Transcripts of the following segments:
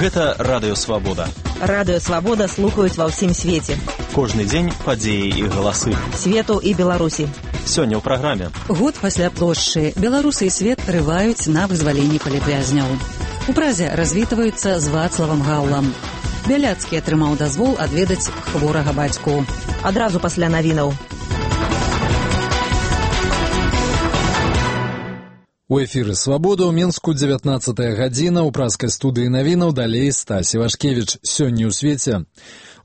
Гэта Радыё Свабода. Радыё Свабода слухаюць ва ўсім свеце. Кожны дзень падзеі і галасы. Свету і Беларусі. Сёння ў праграме. Год пасля плошчы. Беларусы і свет рываюць на вызваленне палітвязняў. У Празе развітваюцца з Вацлавам Гаўлам. Бяляцкі атрымаў дазвол адведаць хворага бацьку. Адразу пасля навінаў. У эфіры «Свабода» ў Менску 19 гадзіна, у празкай студыі навінаў далей Стась Івашкевіч. Сёння ў свеце.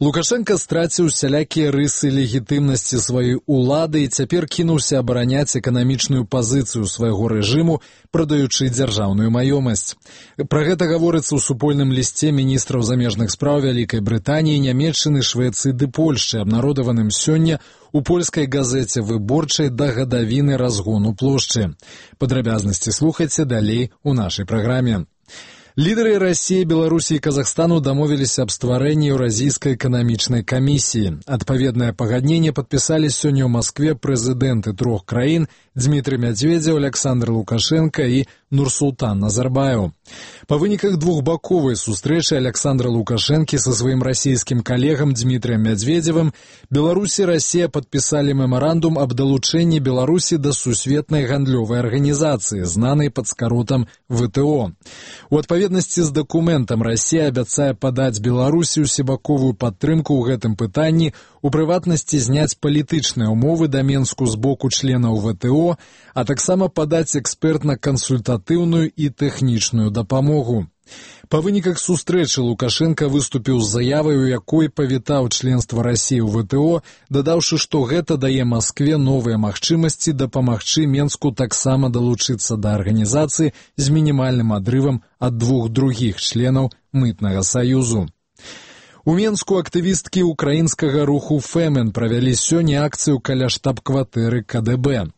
Лукашенко страціў усялякія рысы легітымнасці сваёй улады і цяпер кінуўся абараняць эканамічную пазіцыю свайго рэжыму, прадаючы дзяржаўную маёмасць. Пра гэта гаворыцца ў супольным лісце міністраў замежных спраў Вялікай Брытаніі, Нямецчыны, Швецыі ды Польшчы, абнародаваным сёння у польскай газеце «Выборчай» да гадавіны разгону плошчы. Падрабязнасці слухайце далей у нашай праграме. Лідары Расіі, Беларусі і Казахстану дамовіліся аб стварэнні Еўразійскай эканамічнай камісіі. Адпаведнае пагадненне падпісалі сёння ў Маскве прэзідэнты трох краін Дмітрый Медведзеў, Александр Лукашенко і Нурсултан Назарбаев. Па выніках двухбаковай сустрэчы Александра Лукашенкі са сваім расійскім калегам Дмітрыем Медведзевым Беларусь і Расія падпісалі мемарандум аб далучэнні Беларусі да сусветнай гандлёвай арганізацыі, знанай пад скаротам ВТО. У адпаведнасці з дакументам Расія абяцае падаць Беларусі усебаковую падтрымку ў гэтым пытанні, у прыватнасці зняць палітычныя ўмовы да Менску з боку членаў ВТО, а таксама падаць экспертна-кансультатыўную і тэхнічную дапамогу. Па выніках сустрэчы Лукашенко выступіў з заявай, у якой павітаў членства Расіі ў ВТО, дадаўшы, што гэта дае Маскве новыя магчымасці дапамагчы Менску таксама далучыцца да арганізацыі з мінімальным адрывам ад двух другіх членаў мытнага саюзу. У Менску актывісткі украінскага руху «Фемен» правялі сёння акцыю каля штаб-кватэры КДБ.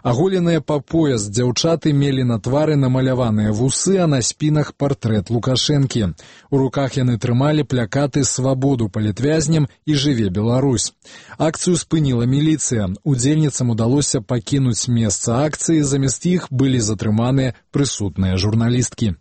Аголеныя па пояс дзяўчаты мелі на твары намаляваныя вусы, а на спінах партрэт Лукашэнкі. У руках яны трымалі плякаты «Свабоду палітвязням» і «Жыве Беларусь». Акцыю спыніла міліцыя. Удзельніцам удалося пакінуць месца акцыі, замест іх былі затрыманыя прысутныя журналісткі.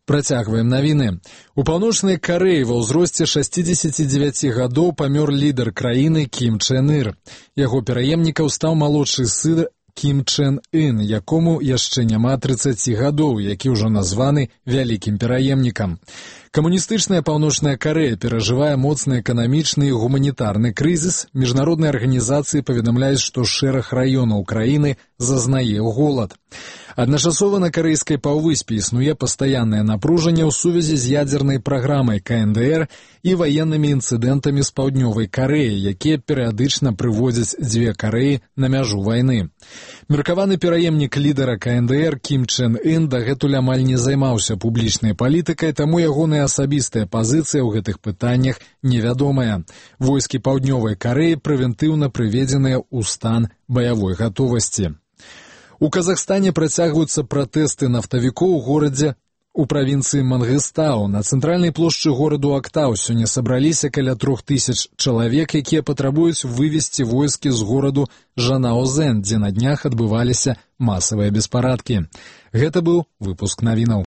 Працягваем навіны. У Паўночнай Карэі ва ўзросце 69 гадоў памёр лідар краіны Кім Чен Ір. Яго пераемнікам стаў малодшы сын Кім Чен Ын, якому яшчэ няма 30 гадоў, які ўжо названы вялікім пераемнікам. Камуністычная Паўночная Карэя перажывае моцны эканамічны і гуманітарны крызіс. Міжнародныя арганізацыі паведамляюць, што шэраг раёнаў краіны зазнае голад. Адначасова на карэйскай паўвыспе існуе пастаяннае напружанне ў сувязі з ядзернай праграмай КНДР і ваеннымі інцыдэнтамі з Паўднёвай Карэі, якія перыядычна прыводзяць дзве Карэі на мяжу вайны. Меркаваны пераемнік лідара КНДР Кім Чен Ын дагэтуль амаль не займаўся публічнай палітыкай, таму ягоная асабістая пазіцыя ў гэтых пытаннях невядомая. Войскі Паўднёвай Карэі прэвентыўна прыведзеныя ў стан баявой гатовасці. У Казахстане працягваюцца пратэсты нафтавікоў у горадзе у правінцыі Мангыстау. На цэнтральнай плошчы гораду Актау сёння сабраліся каля 3000 чалавек, якія патрабуюць вывесці войскі з гораду Жанаозен, дзе на днях адбываліся масавыя беспарадкі. Гэта быў выпуск навінаў.